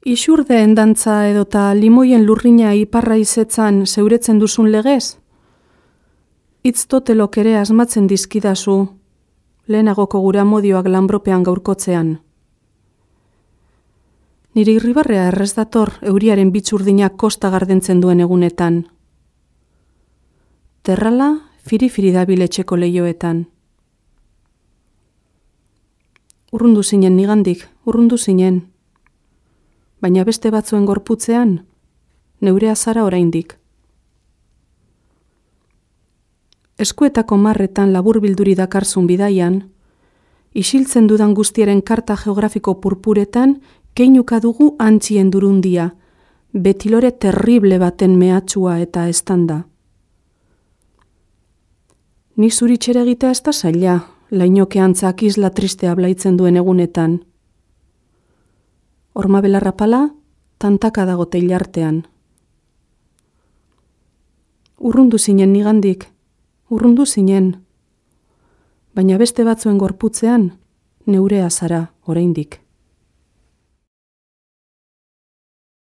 Ixurdeen dantza edota limoien lurrina iparra izetzan zeuretzen duzun legez? Itz totelok ere asmatzen dizkidazu, lehenagoko gura modioak lanbropean gaurkotzean. Nire irribarrea errez dator euriaren bitxurdinak kosta gardentzen duen egunetan. Terrala firi-firi dabil etxeko leioetan. Urrundu zinen nigandik, urrundu zinen. Baina beste batzuen gorputzean, neurea zara oraindik. Eskuetako marretan laburbilduri dakarzun bidaian, isiltzen dudan guztiaren karta geografiko purpuretan, keinuka dugu antzien durundia, betilore terrible baten mehatxua eta estanda. Ni zuritxere egitea ez da zaila, lainoke antzak isla tristea blaitzen duen egunetan. Horma belarra pala, tantaka dago teilartean. Urrundu zinen nigandik, urrundu zinen. Baina beste batzuen gorputzean, neurea zara oraindik.